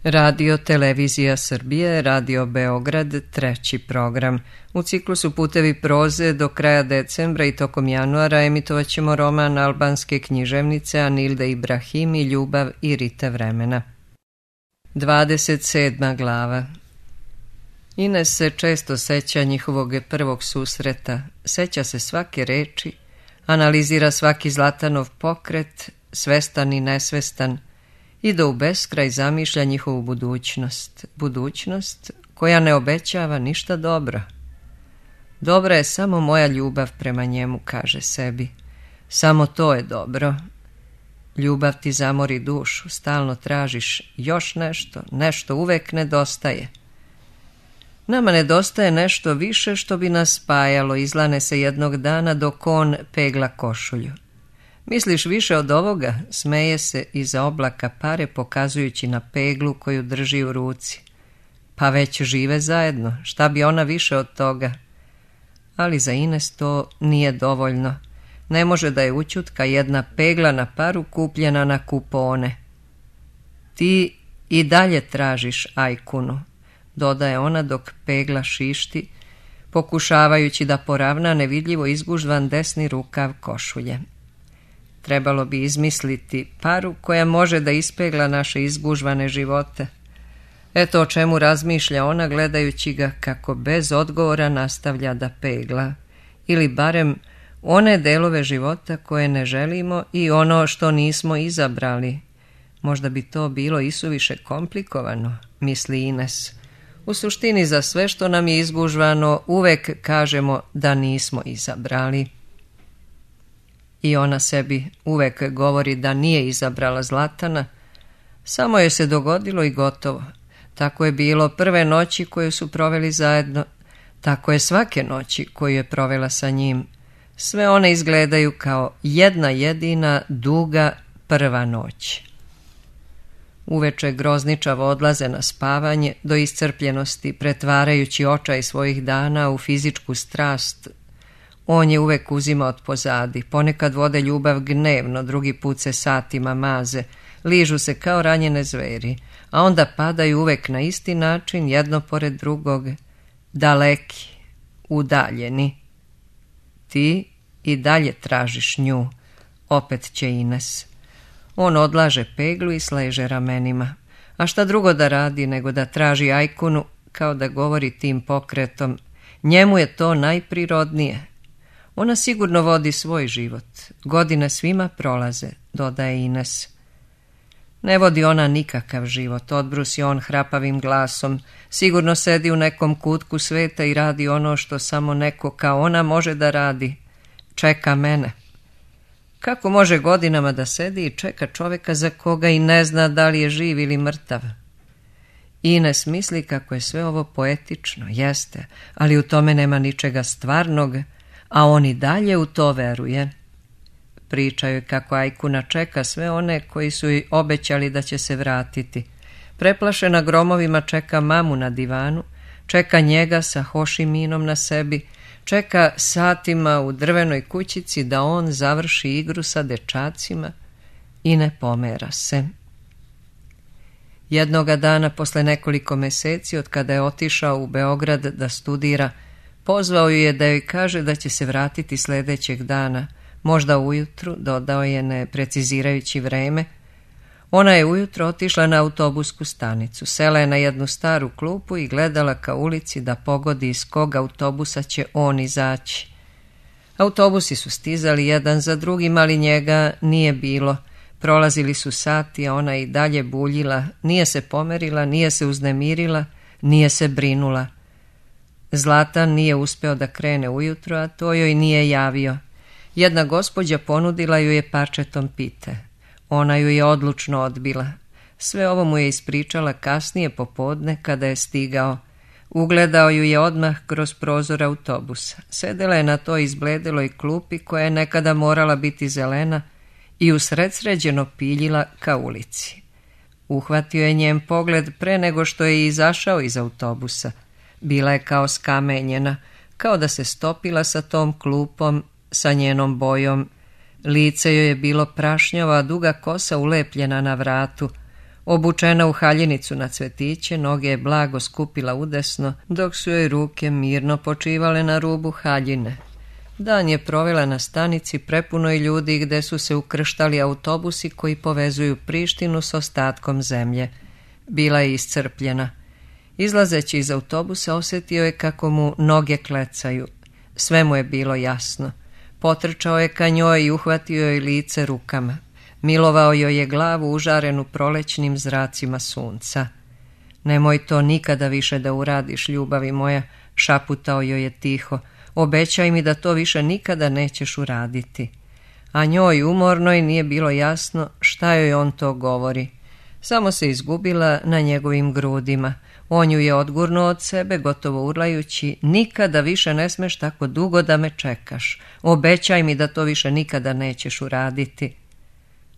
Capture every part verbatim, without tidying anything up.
Radio Televizija Srbije, Radio Beograd, treći program. U ciklusu Putevi proze do kraja decembra i tokom januara emitovat ćemo roman albanske književnice Anilde Ibrahimi Ljubav i rite vremena. dvadeset sedma glava. Ines se često seća njihovog prvog susreta, seća se svake reči, analizira svaki Zlatanov pokret, svestan i nesvestan, i da u beskraj zamišlja njihovu budućnost, budućnost koja ne obećava ništa dobro. Dobra je samo moja ljubav prema njemu, kaže sebi. Samo to je dobro. Ljubav ti zamori dušu, stalno tražiš još nešto, nešto uvek nedostaje. Nama nedostaje nešto više što bi nas spajalo, izlane se jednog dana dok on pegla košulju. Misliš više od ovoga? Smeje se iza oblaka pare pokazujući na peglu koju drži u ruci. Pa već žive zajedno, šta bi ona više od toga? Ali za Ines to nije dovoljno. Ne može da je ućutka jedna pegla na paru kupljena na kupone. Ti i dalje tražiš Ajkunu, dodaje ona dok pegla šišti, pokušavajući da poravna nevidljivo izgužvan desni rukav košulje. Trebalo bi izmisliti paru koja može da ispegla naše izgužvane živote. Eto o čemu razmišlja ona gledajući ga kako bez odgovora nastavlja da pegla. Ili barem one delove života koje ne želimo i ono što nismo izabrali. Možda bi to bilo isuviše komplikovano, misli Ines. U suštini za sve što nam je izgužvano uvek kažemo da nismo izabrali. I ona sebi uvek govori da nije izabrala Zlatana, samo je se dogodilo i gotovo. Tako je bilo prve noći koje su proveli zajedno, tako je svake noći koju je provela sa njim. Sve one izgledaju kao jedna jedina duga prva noć. Uveče grozničavo odlaze na spavanje do iscrpljenosti, pretvarajući očaj svojih dana u fizičku strast. On je uvek uzimao od pozadi, ponekad vode ljubav gnevno, drugi put se satima maze, ližu se kao ranjene zveri, a onda padaju uvek na isti način, jedno pored drugog, daleki, udaljeni. Ti i dalje tražiš nju, opet će Ines. On odlaže peglu i sleže ramenima. A šta drugo da radi nego da traži Ajkunu, kao da govori tim pokretom. Njemu je to najprirodnije. Ona sigurno vodi svoj život. Godine svima prolaze, dodaje Ines. Ne vodi ona nikakav život, odbrusi on hrapavim glasom. Sigurno sedi u nekom kutku sveta i radi ono što samo neko kao ona može da radi. Čeka mene. Kako može godinama da sedi i čeka čoveka za koga i ne zna da li je živ ili mrtav? Ines misli kako je sve ovo poetično, jeste, ali u tome nema ničega stvarnog, a on i dalje u to veruje. Pričaju kako Ajkuna čeka sve one koji su joj obećali da će se vratiti. Preplašena gromovima čeka mamu na divanu, čeka njega sa Hošiminom na sebi, čeka satima u drvenoj kućici da on završi igru sa dečacima i ne pomera se. Jednoga dana, posle nekoliko meseci od kada je otišao u Beograd da studira, pozvao ju je da joj kaže da će se vratiti sledećeg dana, možda ujutru, dodao je ne precizirajući vreme. Ona je ujutro otišla na autobusku stanicu, sela je na jednu staru klupu i gledala ka ulici da pogodi iz kog autobusa će on izaći. Autobusi su stizali jedan za drugim, ali njega nije bilo. Prolazili su sati, a ona i dalje buljila, nije se pomerila, nije se uznemirila, nije se brinula. Zlatan nije uspeo da krene ujutro, a to joj nije javio. Jedna gospođa ponudila ju je parčetom pite. Ona ju je odlučno odbila. Sve ovo mu je ispričala kasnije popodne kada je stigao. Ugledao ju je odmah kroz prozor autobusa. Sedela je na toj izbledeloj klupi koja je nekada morala biti zelena i usredsređeno piljila ka ulici. Uhvatio je njen pogled pre nego što je izašao iz autobusa. Bila je kao skamenjena, kao da se stopila sa tom klupom, sa njenom bojom. Lice joj je bilo prašnjavo, a duga kosa ulepljena na vratu. Obučena u haljinicu na cvetiće, noge je blago skupila udesno, dok su joj ruke mirno počivale na rubu haljine. Dan je provela na stanici prepunoj ljudi gde su se ukrštali autobusi koji povezuju Prištinu s ostatkom zemlje. Bila je iscrpljena. Izlazeći iz autobusa osjetio je kako mu noge klecaju. Sve mu je bilo jasno. Potrčao je ka njoj i uhvatio joj lice rukama. Milovao joj je glavu užarenu prolećnim zracima sunca. Nemoj to nikada više da uradiš, ljubavi moja, šaputao joj je tiho. Obećaj mi da to više nikada nećeš uraditi. A njoj umornoj nije bilo jasno šta joj on to govori. Samo se izgubila na njegovim grudima. On ju je odgurnuo od sebe, gotovo urlajući, nikada više ne smeš tako dugo da me čekaš. Obećaj mi da to više nikada nećeš uraditi.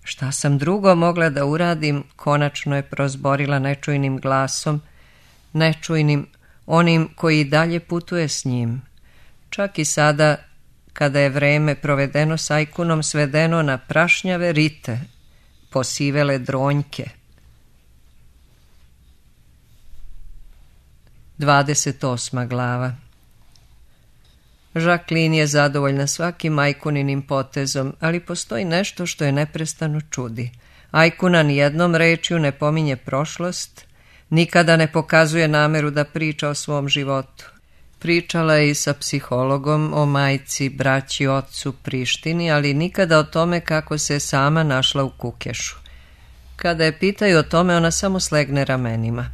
Šta sam drugo mogla da uradim, konačno je prozborila nečujnim glasom, nečujnim, onim koji dalje putuje s njim. Čak i sada, kada je vreme provedeno s Ajkunom svedeno na prašnjave rite, posivele dronjke. Dvadeset osma glava. Jacqueline je zadovoljna svakim Ajkuninim potezom, ali postoji nešto što je neprestano čudi. Ajkuna ni jednom rečju ne pominje prošlost, nikada ne pokazuje nameru da priča o svom životu. Pričala je i sa psihologom o majci, braći, ocu, Prištini, ali nikada o tome kako se sama našla u Kukešu. Kada je pitaju o tome, ona samo slegne ramenima.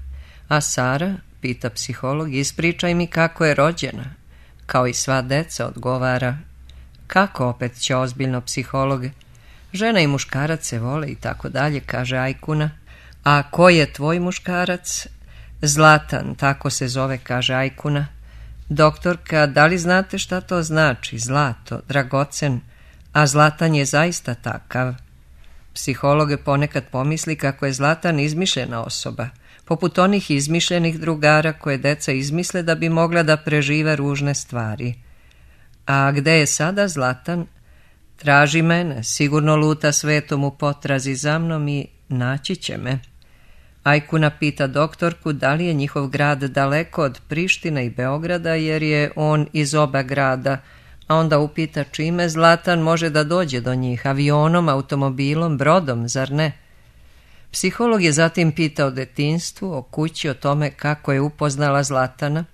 A Sara, pita psiholog, ispričaj mi kako je rođena. Kao i sva deca, odgovara. Kako, opet će ozbiljno psiholog. Žena i muškarac se vole i tako dalje, kaže Ajkuna. A ko je tvoj muškarac? Zlatan, tako se zove, kaže Ajkuna. Doktorka, da li znate šta to znači? Zlato, dragocen, a Zlatan je zaista takav. Psiholog ponekad pomisli kako je Zlatan izmišljena osoba, poput onih izmišljenih drugara koje deca izmisle da bi mogla da prežive ružne stvari. A gde je sada Zlatan? Traži mene, sigurno luta svetom u potrazi za mnom i naći će me. Ajkuna pita doktorku da li je njihov grad daleko od Prištine i Beograda, jer je on iz oba grada, a onda upita čime Zlatan može da dođe do njih, avionom, automobilom, brodom, zar ne? Psiholog je zatim pitao o detinjstvu, o kući, o tome kako je upoznala Zlatana.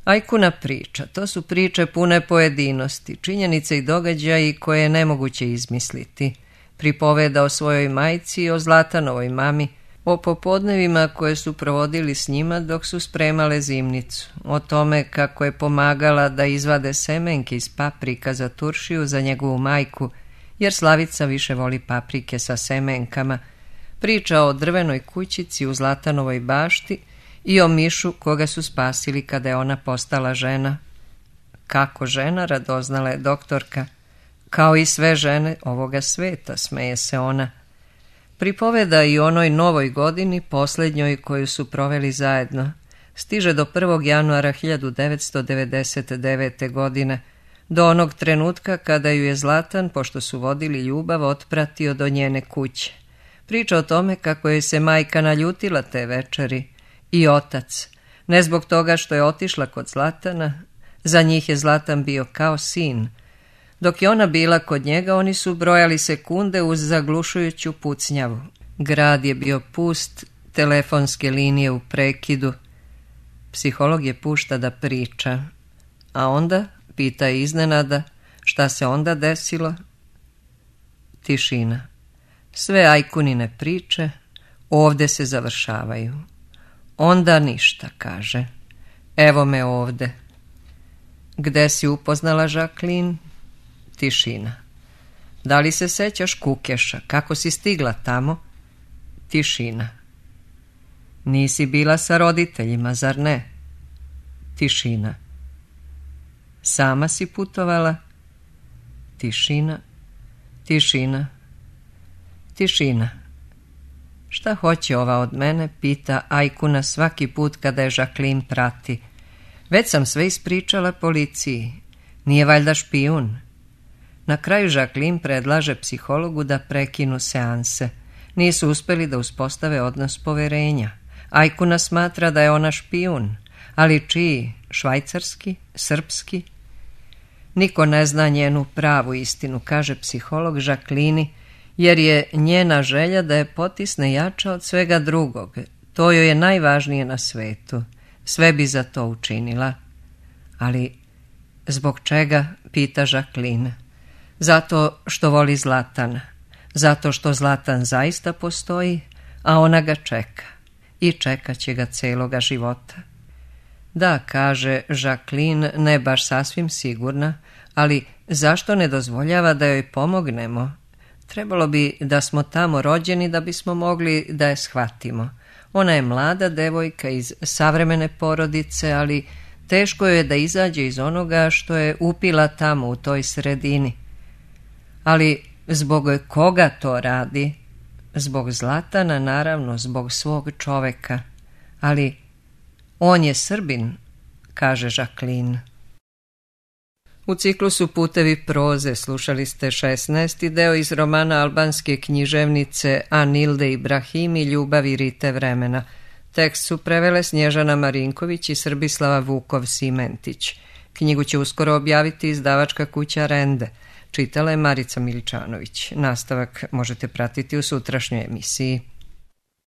Ajkuna priča, to su priče pune pojedinosti, činjenice i događaji koje je nemoguće izmisliti. Pripoveda o svojoj majci i o Zlatanovoj mami, o popodnevima koje su provodili s njima dok su spremale zimnicu, o tome kako je pomagala da izvade semenke iz paprika za turšiju za njegovu majku, jer Slavica više voli paprike sa semenkama, priča o drvenoj kućici u Zlatanovoj bašti i o mišu koga su spasili kada je ona postala žena. Kako žena, radoznala je doktorka. Kao i sve žene ovoga sveta, smeje se ona. Pripoveda i onoj novoj godini, posljednjoj koju su proveli zajedno. Stiže do prvog januara hiljadu devetsto devedeset devete. godine, do onog trenutka kada ju je Zlatan, pošto su vodili ljubav, otpratio do njene kuće. Priča o tome kako je se majka naljutila te večeri i otac, ne zbog toga što je otišla kod Zlatana, za njih je Zlatan bio kao sin. Dok je ona bila kod njega, oni su brojali sekunde uz zaglušujuću pucnjavu. Grad je bio pust, telefonske linije u prekidu. Psiholog je pušta da priča. A onda, pita iznenada, šta se onda desilo? Tišina. Sve Ajkunine priče ovde se završavaju. Onda ništa, kaže. Evo me ovde. Gde si upoznala Jacqueline? Tišina. Da li se sećaš Kukeša? Kako si stigla tamo? Tišina. Nisi bila sa roditeljima, zar ne? Tišina. Sama si putovala? Tišina. Tišina. Tišina. Šta hoće ova od mene, pita Ajkuna svaki put kada je Jacqueline prati. Već sam sve ispričala policiji. Nije valjda špijun? Na kraju Jacqueline predlaže psihologu da prekinu seanse. Nisu uspjeli da uspostave odnos poverenja. Ajkuna smatra da je ona špijun, ali čiji? Švajcarski? Srpski? Niko ne zna njenu pravu istinu, kaže psiholog Jacqueline, jer je njena želja da je potisne jača od svega drugog. To joj je najvažnije na svetu. Sve bi za to učinila. Ali zbog čega, pita Jacqueline? Zato što voli Zlatana. Zato što Zlatan zaista postoji, a ona ga čeka. I čekat će ga celoga života. Da, kaže Jacqueline, ne baš sasvim sigurna, ali zašto ne dozvoljava da joj pomognemo? Trebalo bi da smo tamo rođeni da bismo mogli da je shvatimo. Ona je mlada devojka iz savremene porodice, ali teško joj je da izađe iz onoga što je upila tamo u toj sredini. Ali zbog koga to radi? Zbog Zlatana, naravno, zbog svog čoveka. Ali on je Srbin, kaže Jacqueline. U ciklusu Putevi proze slušali ste šesnaesti deo iz romana albanske književnice Anilde Ibrahim i Ljubavi Rite vremena. Tekst su prevele Snježana Marinković i Srbislava Vukov-Simentić. Knjigu će uskoro objaviti izdavačka kuća Rende. Čitala je Marica Miličanović. Nastavak možete pratiti u sutrašnjoj emisiji.